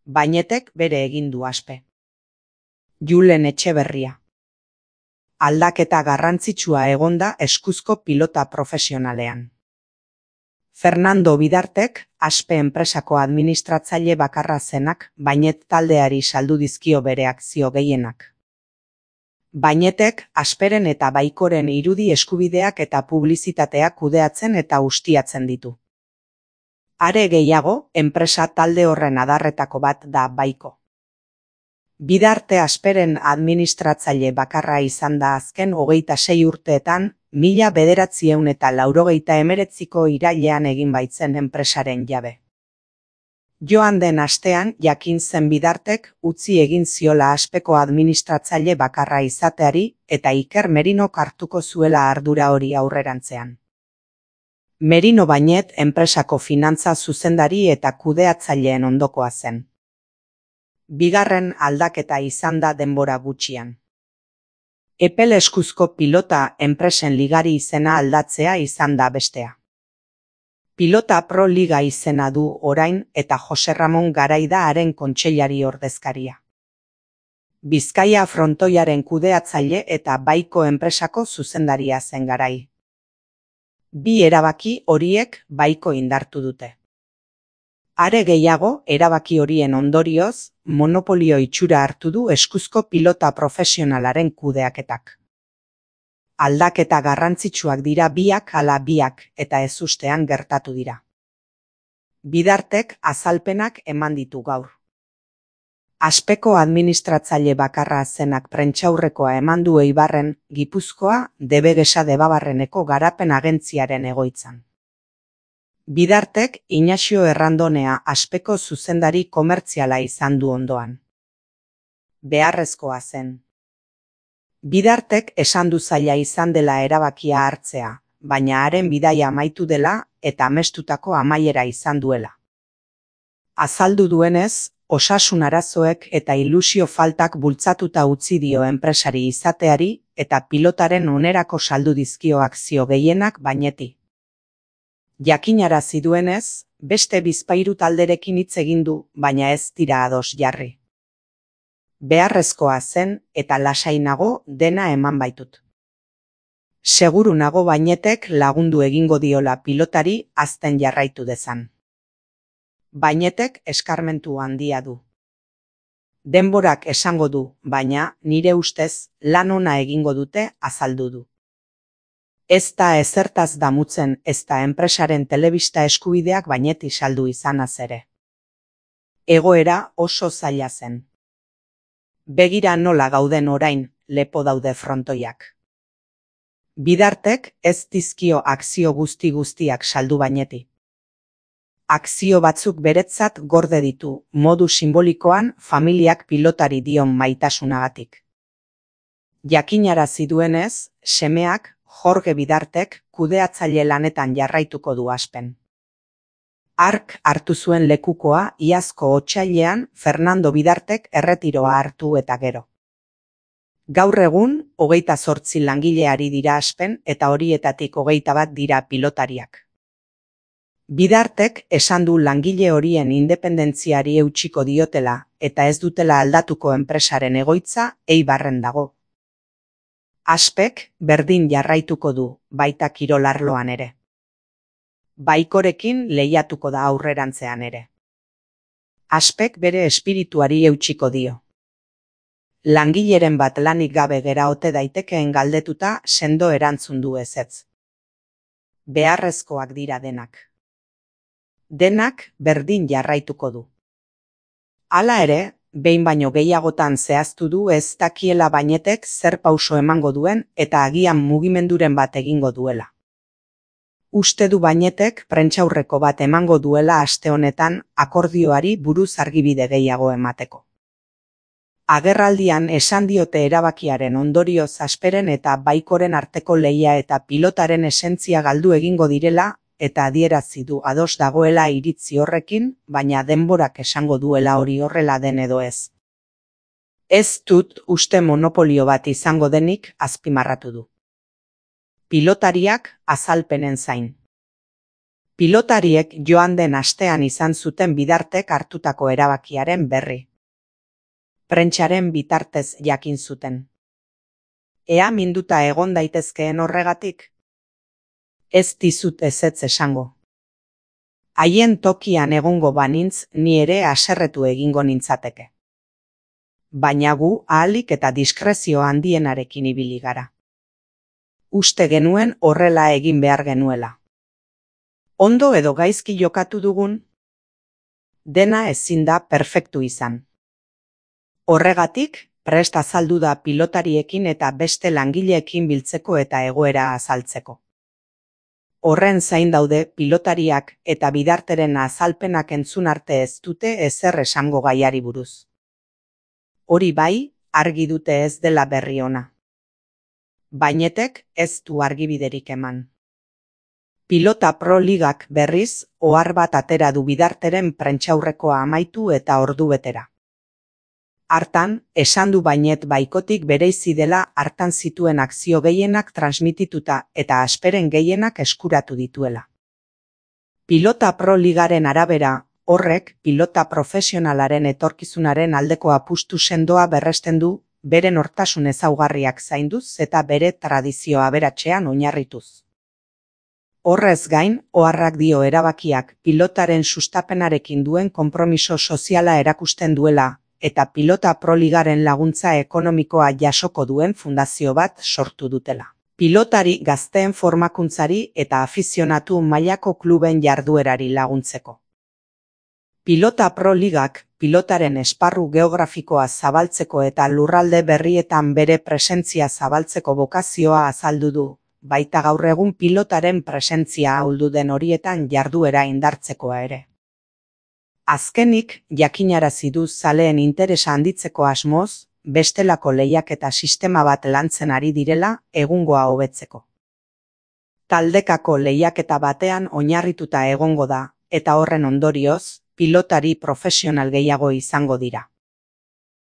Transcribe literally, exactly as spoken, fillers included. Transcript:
Bainetek bere egin du Aspe. Julen Etxeberria. Aldaketa garrantzitsua egonda eskuzko pilota profesionalean. Fernando Bidartek, Aspe enpresako administratzaile bakarra zenak, Bainet taldeari saldu dizkio bere akzio gehienak. Bainetek, Asperen eta Baikoren irudi eskubideak eta publizitatea kudeatzen eta ustiatzen ditu. Are gehiago, enpresa talde horren adarretako bat da Baiko. Bidarte Asperen administratzaile bakarra izan da azken hogeita sei urteetan, mila bederatziehun eta laurogeita hemeretziko irailean egin baitzen enpresaren jabe. Joan den astean jakin zen Bidartek utzi egin ziola Aspeko administratzaile bakarra izateari eta Iker Merinok hartuko zuela ardura hori aurrerantzean. Merino Bainet enpresako finantza zuzendari eta kudeatzaileen ondokoa zen. Bigarren aldaketa izan da denbora gutxian. Epel eskuzko pilota enpresen ligari izena aldatzea izan da bestea. Pilota Pro Liga izena du orain eta Jose Ramon Garaida haren kontseilari ordezkaria. Bizkaia frontoiaren kudeatzaile eta Baiko enpresako zuzendaria zen Garai. Bi erabaki horiek Baiko indartu dute. Are gehiago, erabaki horien ondorioz, monopolio itxura hartu du eskuzko pilota profesionalaren kudeaketak. Aldaketa garrantzitsuak dira biak ala biak eta ezustean gertatu dira. Bidartek azalpenak eman ditu gaur. Aspeko administratzaile bakarra zenak prentsaurrekoa eman du Eibarren, Gipuzkoa, Debegesa Debabarreneko garapen agentziaren egoitzan. Bidartek Inaxio Errandonea Aspeko zuzendari komertziala izan du ondoan. Beharrezkoa zen. Bidartek esan du zaila izan dela erabakia hartzea, baina haren bidaia amaitu dela eta amestutako amaiera izan duela. Azaldu duenez, osasun arazoek eta ilusio faltak bultzatuta utzi dio enpresari izateari eta pilotaren onerako saldu dizkio akzio gehienak Baineti. Jakinarazi duenez, beste bizpahiru talderekin hitz egin du, baina ez dira ados jarri. Beharrezkoa zen eta lasai nago dena eman baitut. Seguru nago Bainetek lagundu egingo diola pilotari hazten jarraitu dezan. Bainetek eskarmentu handia du. Denborak esango du, baina nire ustez lan ona egingo dute azaldu du. Ez da ezertaz damutzen ez da enpresaren telebista eskubideak Baineti saldu izanaz ere. Egoera oso zaila zen. Begira nola gauden orain, lepo daude frontoiak. Bidartek ez dizkio akzio guzti guztiak saldu Baineti. Akzio batzuk beretzat gorde ditu, modu simbolikoan familiak pilotari dion maitasunagatik. Jakinarazi duenez, semeak Jorge Bidartek kudeatzaile lanetan jarraituko du Aspen. Hark hartu zuen lekukoa iazko otsailean Fernando Bidartek erretiroa hartu eta gero. Gaur egun, hogeita zortzi langileari dira Aspen eta horietatik hogeita bat dira pilotariak. Bidartek esan du langile horien independentziari eutsiko diotela eta ez dutela aldatuko enpresaren egoitza Eibarren dago. Aspek berdin jarraituko du, baita kirol arloan ere. Baikorekin lehiatuko da aurrerantzean ere. Aspek bere espirituari eutsiko dio. Langileren bat lanik gabe gera ote daitekeen galdetuta sendo erantzun du ezetz. Beharrezkoak dira denak. Denak berdin jarraituko du. Hala ere, behin baino gehiagotan zehaztu du ez dakiela Bainetek zer pauso emango duen eta agian mugimenduren bat egingo duela. Uste du Bainetek prentsaurreko bat emango duela aste honetan akordioari buruz argibide gehiago emateko. Agerraldian esan diote erabakiaren ondorioz Asperen eta Baikoren arteko lehia eta pilotaren esentzia galdu egingo direla eta adierazi du ados dagoela iritzi horrekin, baina denborak esango duela hori horrela den edo ez. Ez dut uste monopolio bat izango denik azpimarratu du. Pilotariak azalpenen zain. Pilotariek joan den astean izan zuten Bidartek hartutako erabakiaren berri. Prentsaren bitartez jakin zuten. Ea minduta egon daitezkeen horregatik? Ez dizut ezetz esango. Haien tokian egongo banintz ni ere haserretu egingo nintzateke. Baina gu ahalik eta diskrezio handienarekin ibili gara. Uste genuen horrela egin behar genuela. Ondo edo gaizki jokatu dugun? Dena ezin da perfektu izan. Horregatik, prest azaldu da pilotariekin eta beste langileekin biltzeko eta egoera azaltzeko. Horren zain daude pilotariak eta Bidarteren azalpenak entzun arte ez dute ezer esango gaiari buruz. Hori bai, argi dute ez dela berri ona. Bainetek ez du argibiderik eman. Pilota Pro Ligak berriz, ohar bat atera du Bidarteren prentsaurrekoa amaitu eta ordu betera. Hartan, esan du Bainet Baikotik bereizi dela hartan zituen akzio gehienak transmitituta eta asperen gehienak eskuratu dituela. Pilota Pro Ligaren arabera, horrek pilota profesionalaren etorkizunaren aldeko apustu sendoa berresten du, bere nortasun ezaugarriak zainduz eta bere tradizio aberatsean oinarrituz. Horrez gain, oharrak dio erabakiak pilotaren sustapenarekin duen konpromiso soziala erakusten duela, eta Pilota Pro Ligaren laguntza ekonomikoa jasoko duen fundazio bat sortu dutela. Pilotari gazteen formakuntzari eta afizionatu mailako kluben jarduerari laguntzeko. Pilota Pro Ligak pilotaren esparru geografikoa zabaltzeko eta lurralde berrietan bere presentzia zabaltzeko bokazioa azaldu du, baita gaur egun pilotaren presentzia ahuldu den horietan jarduera indartzekoa ere. Azkenik, jakinarazi du zaleen interesa handitzeko asmoz, bestelako lehiaketa sistema bat lantzen ari direla egungoa hobetzeko. Taldekako lehiaketa batean oinarrituta egongo da, eta horren ondorioz, pilotari profesional gehiago izango dira.